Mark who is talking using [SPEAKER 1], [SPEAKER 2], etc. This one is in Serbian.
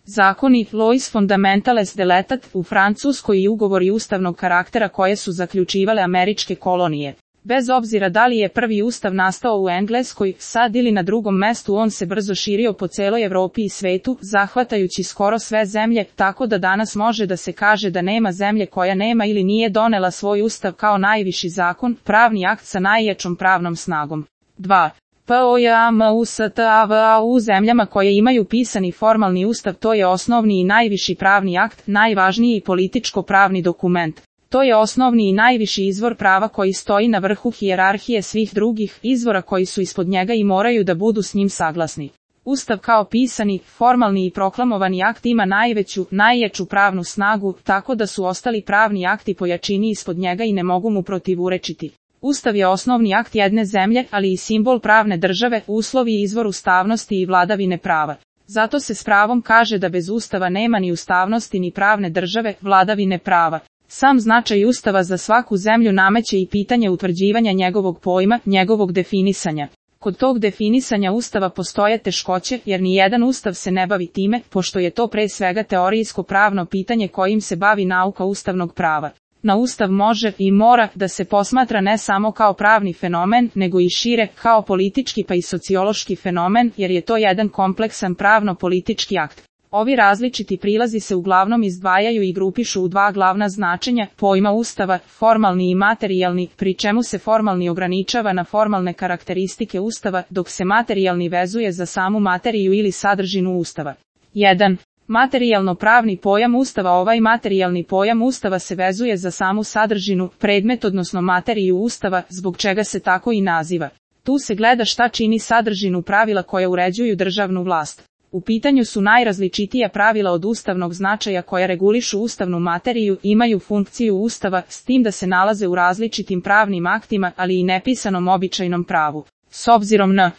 [SPEAKER 1] Zakoni, lois fundamentales de l'État, u Francuskoj i ugovori ustavnog karaktera koje su zaključivale američke kolonije. Bez obzira da li je prvi ustav nastao u Engleskoj, sad ili na drugom mestu, on se brzo širio po celoj Evropi i svetu, zahvatajući skoro sve zemlje, tako da danas može da se kaže da nema zemlje koja nema ili nije donela svoj ustav kao najviši zakon, pravni akt sa najjačom pravnom snagom. 2. POJAMUSTAVA u zemljama koje imaju pisani formalni ustav, to je osnovni i najviši pravni akt, najvažniji političko-pravni dokument. To je osnovni i najviši izvor prava koji stoji na vrhu hijerarhije svih drugih izvora koji su ispod njega i moraju da budu s njim saglasni. Ustav kao pisani, formalni i proklamovani akt ima najjaču pravnu snagu, tako da su ostali pravni akti po jačini ispod njega i ne mogu mu protivurečiti. Ustav je osnovni akt jedne zemlje, ali i simbol pravne države, uslov i izvor ustavnosti i vladavine prava. Zato se s pravom kaže da bez ustava nema ni ustavnosti ni pravne države, vladavine prava. Sam značaj ustava za svaku zemlju nameće i pitanje utvrđivanja njegovog pojma, njegovog definisanja. Kod tog definisanja ustava postoje teškoće, jer ni jedan ustav se ne bavi time, pošto je to pre svega teorijsko pravno pitanje kojim se bavi nauka ustavnog prava. Na ustav može i mora da se posmatra ne samo kao pravni fenomen, nego i šire, kao politički pa i sociološki fenomen, jer je to jedan kompleksan pravno-politički akt. Ovi različiti prilazi se uglavnom izdvajaju i grupišu u dva glavna značenja pojma ustava, formalni i materijalni, pri čemu se formalni ograničava na formalne karakteristike ustava, dok se materijalni vezuje za samu materiju ili sadržinu ustava. 1. Materijalno-pravni pojam ustava. Ovaj materijalni pojam ustava se vezuje za samu sadržinu, predmet odnosno materiju ustava, zbog čega se tako i naziva. Tu se gleda šta čini sadržinu pravila koja uređuju državnu vlast. U pitanju su najrazličitija pravila od ustavnog značaja koja regulišu ustavnu materiju, imaju funkciju ustava, s tim da se nalaze u različitim pravnim aktima, ali i nepisanom običajnom pravu. S obzirom na